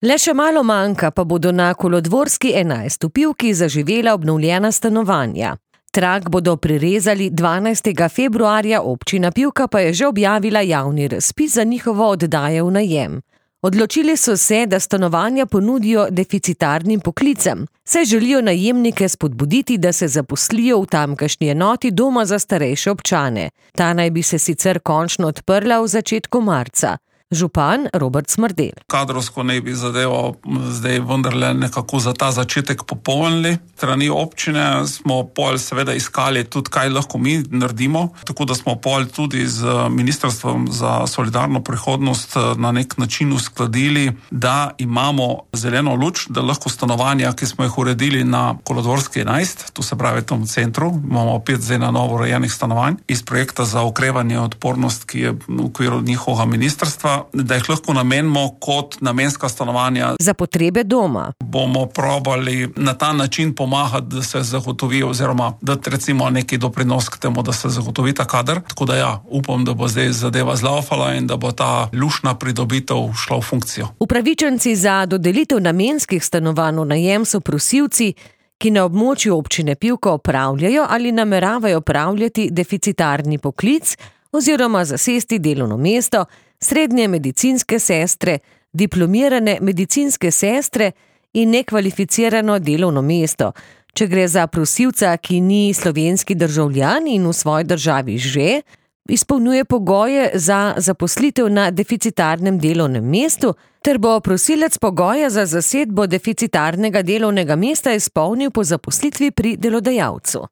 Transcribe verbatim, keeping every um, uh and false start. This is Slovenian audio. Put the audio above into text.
Le še malo manjka, pa bodo na Kolodvorski enajst v Pivki zaživela obnovljena stanovanja. Trak bodo prirezali dvanajstega februarja, občina Pivka pa je že objavila javni razpis za njihovo oddajo v najem. Odločili so se, da stanovanja ponudijo deficitarnim poklicem, saj želijo najemnike spodbuditi, da se zaposlijo v tamkajšnji enoti doma za starejše občane. Ta naj bi se sicer končno odprla v začetku marca. Župan Robert Smrdelj. Kadrovsko naj bi zadevo zdaj vendarle nekako za ta začetek popolnili. Strani občine smo pol seveda iskali tudi, kaj lahko mi naredimo, tako da smo pol tudi z Ministrstvom za solidarno prihodnost na nek način uskladili, da imamo zeleno luč, da lahko stanovanja, ki smo jih uredili na Kolodvorski enajst, to se pravi v tom centru, imamo pet zdaj na novo urejenih stanovanj iz projekta za okrevanje in odpornost, ki je v okviru njihovega ministrstva, da jih lahko namenimo kot namenska stanovanja. Za potrebe doma. Bomo probali na ta način pomagati, da se zagotovi oziroma dati recimo neki doprinos k temu, da se zagotovi ta kader. Tako da ja, upam, da bo zdaj zadeva zlaufala in da bo ta lušna pridobitev šla v funkcijo. Upravičenci za dodelitev namenskih stanovanj v najem so prosilci, ki na območju občine Pivka opravljajo ali nameravajo opravljati deficitarni poklic oziroma zasesti delovno mesto srednje medicinske sestre, diplomirane medicinske sestre in nekvalificirano delovno mesto. Če gre za prosilca, ki ni slovenski državljan in v svoji državi že izpolnjuje pogoje za zaposlitev na deficitarnem delovnem mestu, ter bo prosilec pogoje za zasedbo deficitarnega delovnega mesta izpolnil po zaposlitvi pri delodajalcu.